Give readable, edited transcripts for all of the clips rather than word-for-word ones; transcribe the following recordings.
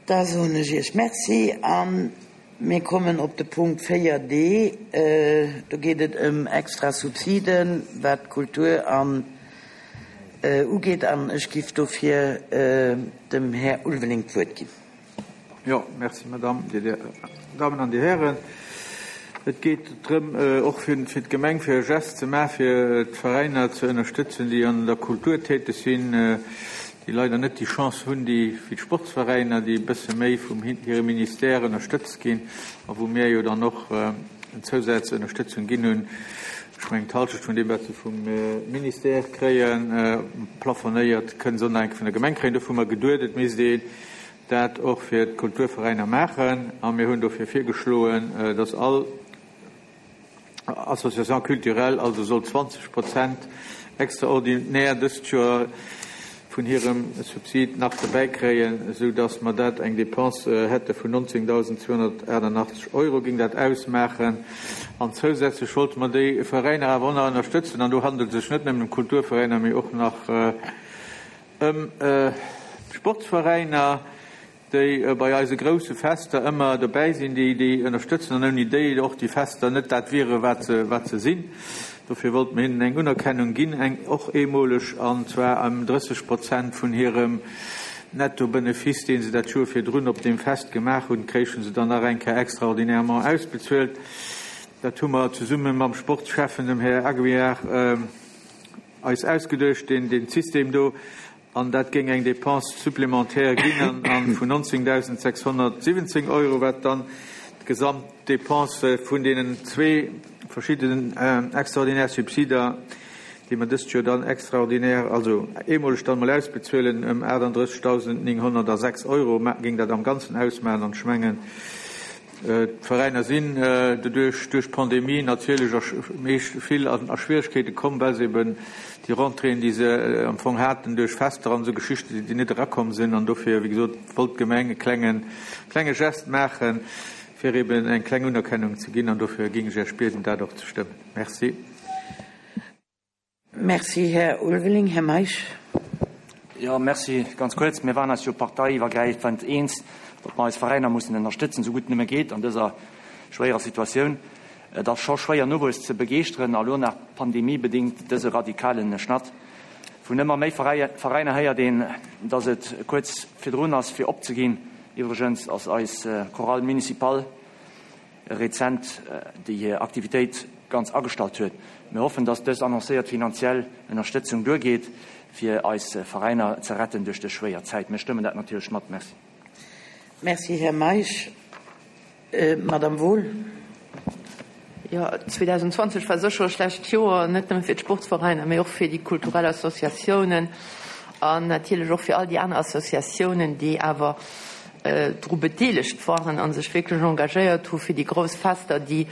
Da soen ech Iech Merci a mir kommen op de Punkt 4d. Do geet et ëm extra Subsiden, wat d'Kultur an ugeet. An ech giff dofir dem Här Ulveling d'Wuert ginn. Jo, merci, Madame, Dir Dammen an Dir Hären. Et geet drëm, och fir d'Gemeng, fir e Geste ze maachen, fir d'Veräiner ze ënnerstëtzen, déi an der Kultur täteg sinn, déi leider net déi Chance hunn, déi wéi d'Sportsveräiner, déi e bësse méi vum hirem Ministère ënnerstëtzt ginn a wou mir jo dann och eng zousätzlech Ënnerstëtzung ginn hunn. Ech mengen, d'Halschecht vun deem, wat se vum Ministère kréien, plafonéiert, kënne se och nach eng Kéier vun der Gemeng kréien. Dofir hu mer geduet, et misst een dat och fir d'Kulturveräiner maachen a mir hunn dofir virgeschloen, dass all Association culturelle also soll 20 Prozent extraordinär dëst Joer vun hirem Subsid nach dobäi kréien, esou dass mer dat eng Dépense hätte vun 19.288 Euro géing dat ausmaachen. An zousätzlech wollte mer déi Veräiner awer och nach ënnerstëtzen, an do handelt et sech net nëmmen ëm Kulturveräiner, mee och nach ëm Sportsveräiner, déi bei eise grousse Fester ëmmer dobäi sinn, déi déi ënnerstëtzen an ouni déi och déi Fester net dat wiere wat se wat se sinn. Dofir wollte mer hinnen eng Unerkennung ginn, eng och eemoleg, an zwar ëm 30 Prozent vun hirem Nettobenefice, dee se dat Joer virdrun op deem Fest gemaach hunn, kréichen se dann nach eng Kéier extraordinairement ausbezuelt. Dat hu mer zesumme mam Sportschäffen, dem Här Aguiar, eis ausgeduecht, deen deen System do. An dat géing eng Dépense supplémentaire ginn an vun 19.617 Euro, wat dann d'Gesamtdépense vun deenen zwee verschiddenen extraordinaire Subsider, déi mer dëst Joer dann extraordinaire, also eemoleg dann emol ausbezuelen, ëm 38.906 Euro géing dat am Ganzen ausmaachen. An ech mengen, D'Veräiner sinn doduerch, duerch d'Pandemie natierlech a meescht vill a Schwieregkeete komm, well se eben déi Rentréeën, déi se am Fong haten duerch Fester an esou Geschichten, déi net erakomm sinn. An dofir, wéi gesot, wollt d'Gemeng e klengen, klenge Gest maachen, fir eben eng kleng Unerkennung ze ginn. An dofir géing ech Iech bieden, dat och ze stëmmen. Merci. Merci, Här Ulveling. Här Meisch. Jo, merci. Ganz kuerz, Mir waren eis jo parteiiwwergräifend eens, datt mer eis Veräiner mussen ënnerstëtzen, esou gutt et nëmme geet an dëser schwéierer Situatioun. Et ass scho schwéier, Nowuess ze begeeschteren, a lo nach pandemiebedéngt dëse radikale Schnatt. Vun ëmmer méi Veräiner héiert een, datt et kuerz virdrun ass, fir opzeginn. Iwwregens ass eis Chorale municipale rezent déi hir Aktivitéit ganz agestallt huet. Mir hoffen, dass dës annoncéiert finanziell Ënnerstëtzung duergeet, fir eis Veräiner ze retten duerch dës schwéier Zäit. Mir stëmmen dat natierlech mat. Merci. Merci, Här Meisch. Madamm Wohl. Jo, 2020 war sécher e schlecht Joer, net nëmme fir d'Sportsveräiner, mee och fir déi kulturell Associatiounen an natierlech och fir all déi aner Associatiounen, déi awer dru bedeelegt waren a sech wierklech engagéiert hu fir déi grouss Fester, déi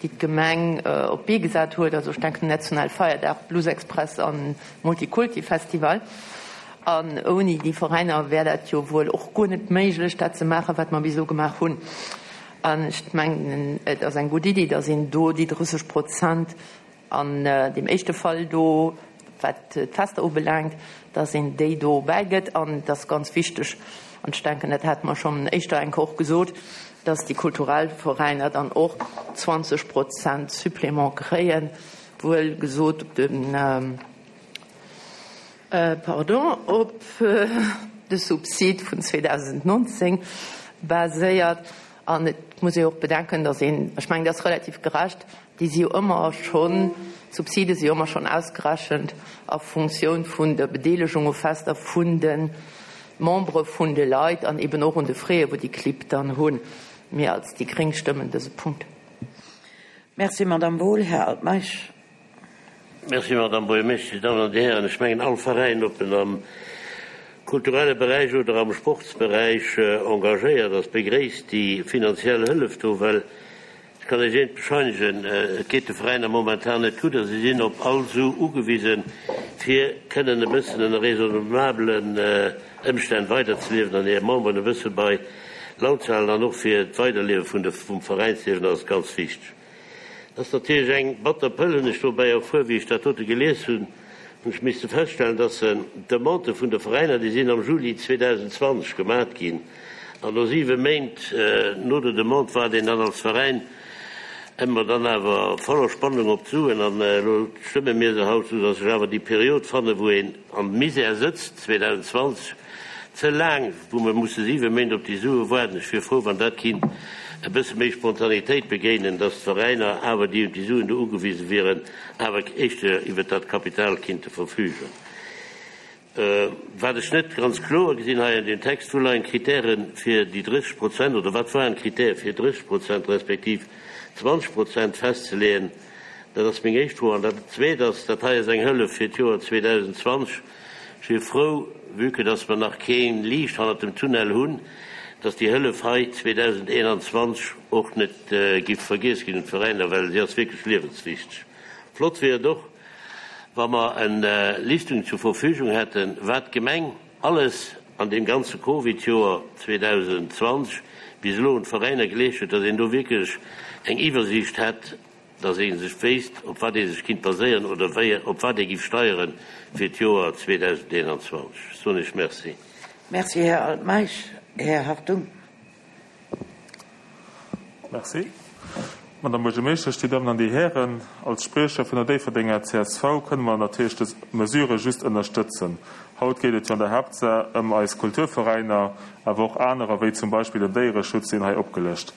d'Gemeng op d'Bee gesat huet, also ech denken un Nationale Feierdag, Blues Express an Multikulti Festival. An ouni déi Veräiner wär dat jo wuel och guer net méiglech, dat ze maachen, wat mer bis elo gemaach hunn. An ech mengen, et ass eng gutt Iddi, datt een do déi 30 Prozent An deem éischte Fall do, wat d'Fester ubelaangt, dass een déi do bäigëtt. An et ass ganz wichteg, an ech denken, dat hate mer schonn éischter eng Kéier och gesot, dass déi kulturell Veräiner dann och 20 Prozent Supplément kréien, wuel gesot op de, pardon, op de Subsid vun 2019 baséiert. An et muss ee och bedenken, dass een, ech mengen, dat ass relativ gerecht, Déi si jo ëmmer schonn, d'Subside si jo ëmmer schonn ausgerechent a Funktioun vun der Bedeelegung u Fester vun de Membere vun de Leit an eben och un de Fräe wou déi Clibb dann hunn. Mir als déi gréng stëmmen dëse Punkt. Merci, Madamm Wohl. Här Altmeisch. Merci, Madamm Buergermeeschtesch. Dir Dammen an Dir Hären, ech mengen, all Veräin, ob en am kulturelle Beräich oder am Sportsberäich engagéiert ass, begréisst déi finanziell Hëllef do, well Ech kann Iech eent bescheinegen, Et geet de Veräiner momentan net gutt a si sinn op all Su ugewisen, fir kënnen e bëssen ënner raisonnablen Ëmstänn weiderzeliewen an hir Memberen e bësse bei Laun ze halen. An och fir d'Weiderliewe vun de vum Veräinsliewen ass et ganz wichteg. Et ass natierlech eng batter Pëll, hunn ech dobäi erfuer, wéi ech dat dote gelies hunn, hunn ech misste feststellen, dass d'Demandë vun de Veräiner, déi sinn am Juli 2020 gemat ginn. An no siwe Méint no der Demande waart een dann als Veräin ëmmer dann awer voller Spannung op d'Suen. An elo stëmme mir se haut, soudass ech awer déi Period fanne wou een am Misär sëtzt, 2020, ze laang, wou mer musse siwe Méint op déi Sue waarden. Ech wier frou, wann dat kinnt e bësse méi Spontanitéit begéinen, dass d'Veräiner awer, déi op déi Suen do ugewise wieren, awer éischter iwwert dat Kapital kinnte verfügen. Wat ech net ganz kloer gesinn hei an deem Text, Wou leien d'Kritäre fir déi 30 Prozent, oder wat waren d'Kritäre fir 30 Prozent respektiv 20 Prozent festzeleeën? Dat ass meng éischt Fro. An dat Zweet ass, dat hei ass eng Hëllef fir d'Joer 2020. Ech wier frou, vue que dass mer nach kee Liicht hannert dem Tunnel hunn, dass déi Hëllef hei 2021 och net giff vergiess ginn un d'Veräiner, well si ass wierklech liewenswichteg. Flott wier et och, wa mer en Listung zur Verfügung hätten, wat d'Gemeng alles an deem ganze Covid-Joer 2020 bis elo un d'Veräiner geleescht huet, dass een do wierklech eng Iwwersiicht hätt, dass ee sech wéisst, op wat ee sech kinnt baséieren oder wéi, op wat ee giff steiere fir d'Joer 2021. Ech soen Iech Merci. Merci, Här Altmeisch. Här Hartung. Merci. Madame Buergermeeschtesch, Dir Dammen an Dir Hären, als Spriecher vun der Déifferdenger csv kënne mer natierlech dës Mesure just ënnerstëtzen. Haut geet et jo an der Haaptsaach ëm eis Kulturveräiner, awer och anerer, wéi zum Beispill den Déiereschutz sinn hei opgelëscht.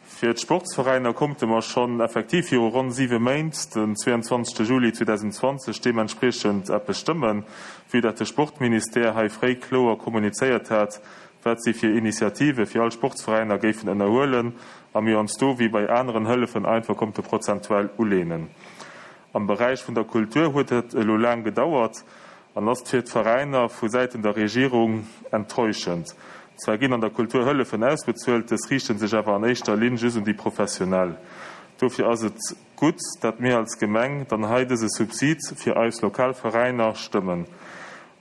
Fir d'Sportsveräiner konnte mer schonn effektiv viru ronn siwe Méint, den 22 Juli 2020, deementspriechend eppes stëmmen, vue dat de Sportministère hei fréi kloer kommunizéiert hat, wat si fir Initiative fir all Sportsveräiner géifen ënnerhuelen a mir ons do wéi bei aneren Hëllefen einfach konnte prozentuell uleenen. Am Beräich vun der Kultur huet et elo laang gedauert an ass fir d'Veräiner vu Säiten der Regierung enttäuschend. Zwar ginn an der Kultur Hëllefen ausbezuelt, dës riichte sech awer an éischter Linn just un déi Professionell. Dofir ass et gutt, dat mir als Gemeng dann hei dëse Subsid fir eis lokal Veräiner stëmmen.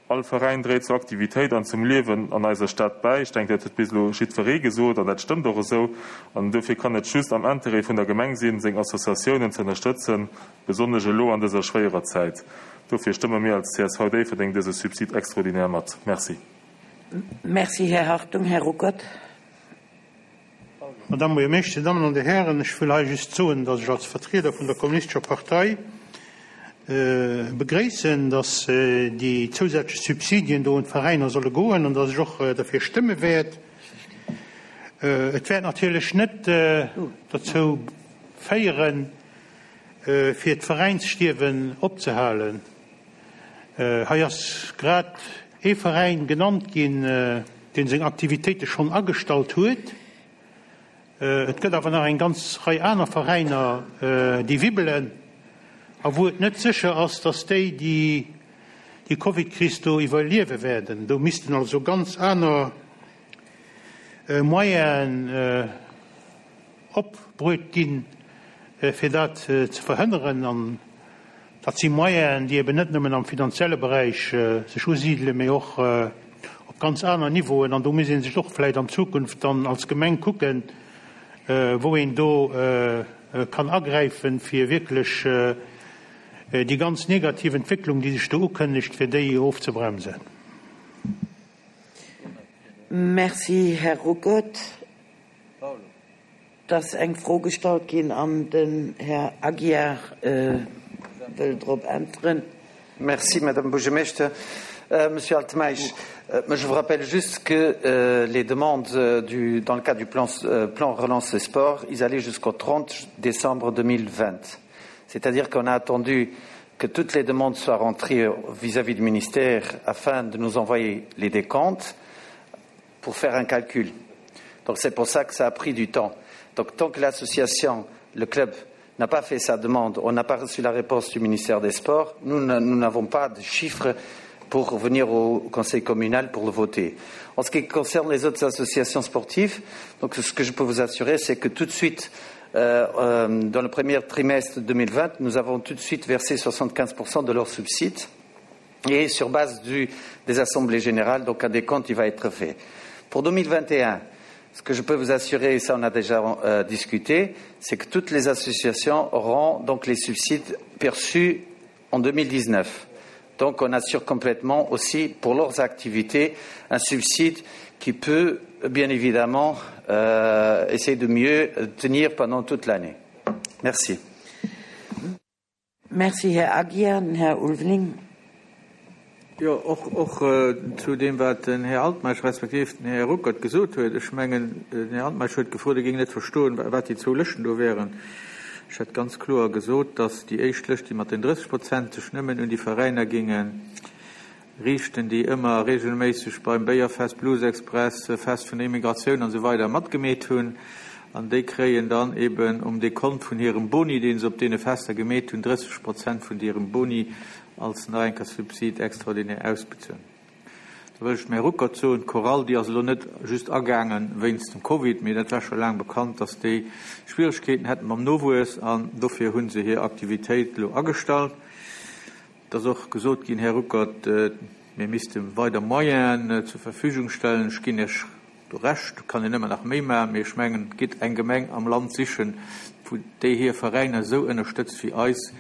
All Veräin dréit zur Aktivitéit an zum Liewen an eiser Stad bäi. Ech denken, dat huet bis elo jiddweree gesot an dat stëmmt och esou. An dofir kann et just am Interêt vun der Gemeng sinn, seng Associatiounen ze ënnerstëtzen, besonnesch elo an dëser schwéierer Zäit. Dofir stëmme mir als csv Déifferdeng dëse Subside extraordinaire mat. Merci. Merci, Här Hartung. Här Ruckert. Madame Buergermeeschter, Dir Dammen an Dir Hären, ech wëll hei just soen, datt ech als Vertrieder vun der Kommunistescher Partei begréissen, datt déi zousätzlech Subsidien do un d'Veräiner solle goen an datt ech och derfir stëmme wäert. Et wäert natierlech net dozou féieren, fir d'Veräinsstierwen opzehalen. Hei ass grad ee Veräin genannt ginn, dee seng Aktivitéite schonn agestallt huet. Et gëtt awer nach eng ganz Rei aner Veräiner, déi wibbelen a wou et net sécher ass, datt déi déi Covid-Kris do iwwerliewe wäerten. Do missten also ganz aner Moyenen opbruet ginn, fir dat ze verhënneren. An dat si Moyenen, déi eben net nëmmen am finanzielle Beräich sech usidelen, mee och op ganz aner Niveauen. An do muss ee sech och vläicht an Zukunft dann als Gemeng kucken, wou een do kann agräifen, fir wierklech déi ganz negativ Entwécklung, déi sech do ukënnegt, fir déi ofzebremsen. Merci, Här Ruckert. Et ass eng Fro gestallt ginn an den Här Aguiar wëll drop äntweren. Merci, Madame Buergermeeschter. Monsieur Altmeisch, je vous rappelle juste que les demandes du, dans le cadre du plan, plan Relance et Sport, ils allaient jusqu'au 30 décembre 2020. C'est-à-dire qu'on a attendu que toutes les demandes soient rentrées vis-à-vis -vis du ministère afin de nous envoyer les décomptes pour faire un calcul. Donc c'est pour ça que ça a pris du temps. Donc tant que l'association, le club n'a pas fait sa demande, on n'a pas reçu la réponse du ministère des Sports, nous n'avons pas de chiffres pour venir au conseil communal pour le voter. En ce qui concerne les autres associations sportives, donc ce que je peux vous assurer, c'est que tout de suite, euh, euh, dans le premier trimestre 2020, nous avons tout de suite versé 75% de leurs subsides et sur base du, des assemblées générales, donc un décompte il va être fait. Pour 2021, ce que je peux vous assurer, et ça on a déjà euh, discuté, c'est que toutes les associations auront donc les subsides perçus en 2019. Donc on assure complètement aussi pour leurs activités un subside qui peut bien évidemment euh, essayer de mieux tenir pendant toute l'année. Merci. Merci, Här Aguiar. Den Här Ulveling. Jo, och, och zu deem, wat den Här Altmeisch respektiv den Här Ruckert gesot huet. Ech mengen, den Här Altmeisch huet gefrot, e géing net verstoen, wat déi zwou Lëschten do wären. Ech hätt ganz kloer gesot, datt déi éischt Lëscht, déi mat den 30 Prozent, sech nëmmen un déi Veräiner géinge riichten, déi ëmmer regelméisseg beim Béierfest, Blues Express, Fest vun der Immigratioun an esou weider matgemeet hunn. An déi kréien dann eben um Dekont vun hirem Boni, dee se op deene Fester gemeet hunn, 30 Prozent vun hirem Boni als nach eng Kéier Subside extraordinaire ausbezuelen. Da wëll ech dem Här Ruckert soen, d'Chorale, déi ass elo net just agaange wéinst dem Covid, mee dat war scho laang bekannt, dass déi Schwieregkeeten hätten mam Nowuess an dofir hu se hir Aktivitéit elo agestallt. Et ass och gesot ginn, Här Ruckert, mir misste weider Moyenen zur Verfügung stellen. Ech ginn Iech do Recht, do kann een ëmmer nach méi maachen, mee ech mengen, gitt eng Gemeng am Land sichen, wou déi hir Veräiner esou ënnerstëtzt wéi eis.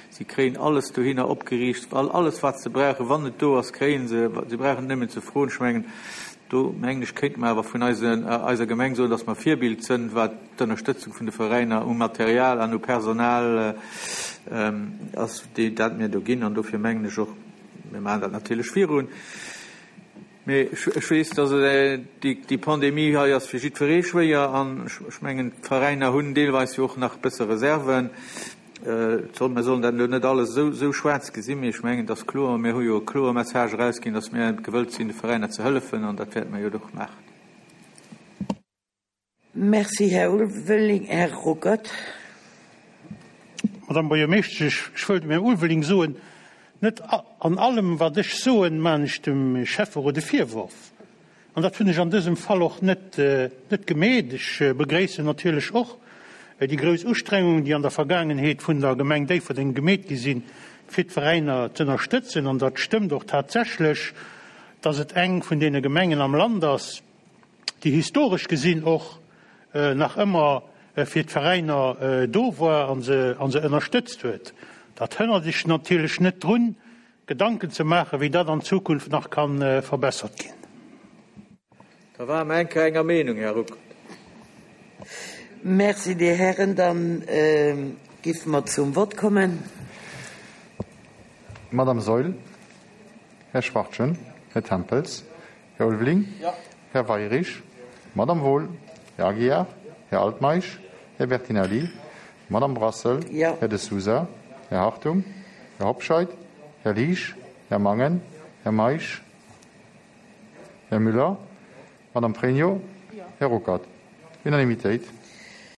Si kréien alles dohinner opgeriicht, alles wat se brauchen, wann et do ass, kréie se. Si brauchen et nëmmen ze froen. Ech mengen, do mengen ech, kéinte mer awer vun eiser Gemeng soen, dass mer Virbild sënn, wat d'Ënnerstëtzung vun de Veräiner u Material an u Personal ass, déi dat mir do ginn. An dofir mengen ech och, mir maachen dat natierlech virun, mee ech weess, dass déi Pandemie hei ass fir jiddweree schwéier. An ech mengen, d'Veräiner hunn deelweis jo och nach e bësse Reserven. Mir sollen dat elo net alles esou schwaarz gesinn, mee ech mengen, et ass kloer, mir hu jo e kloere Message erausginn, dass mir gewëllt sinn, de Veräiner ze hëllefen, an dat wäerte mir jo och maachen. Merci, Här Ulveling. Här Ruckert. Madame Buergermeeschtesch, ech wëll dem Här Ulveling soen, net an allem, wat ech soen, maachen ech dem Schäfferot e Virworf. An dat hunn ech an dësem Fall och net net gemeet. Ech begréissen natierlech och déi grouss Ustrengungen, déi an der Vergaangenheet vun der Gemeng Déifferdeng gemeet gi sinn, fir d'Veräiner z'ënnerstëtzen. An dat stëmmt och tatsächlech, dass et eng vun deene Gemengen am Land ass, déi historesch gesinn och nach ëmmer fir d'Veräiner do war a se a se ënnerstëtzt huet. Dat hënnert Iech natierlech net drun, Gedanken ze maachen, wéi dat an Zukunft nach ka verbessert ginn. Da ware mer eng Kéier enger Meenung, Här Ruckert. Merci, Dir Hären. Da géife mer zum Vott kommen. Madame Saeul, Här Schwachtgen, Här Tempels, Här Ulveling, Här Weirich, Madame Wohl, Här Aguiar, Här Altmeisch, Här Bertinelli, Madame Brassel, Här De Sousa, Här Hartung, Här Hobscheit, Här Liesch, Här Mangen, Här Meisch, Här Müller, Madame Pregno, Här Ruckert. Unanimitéit.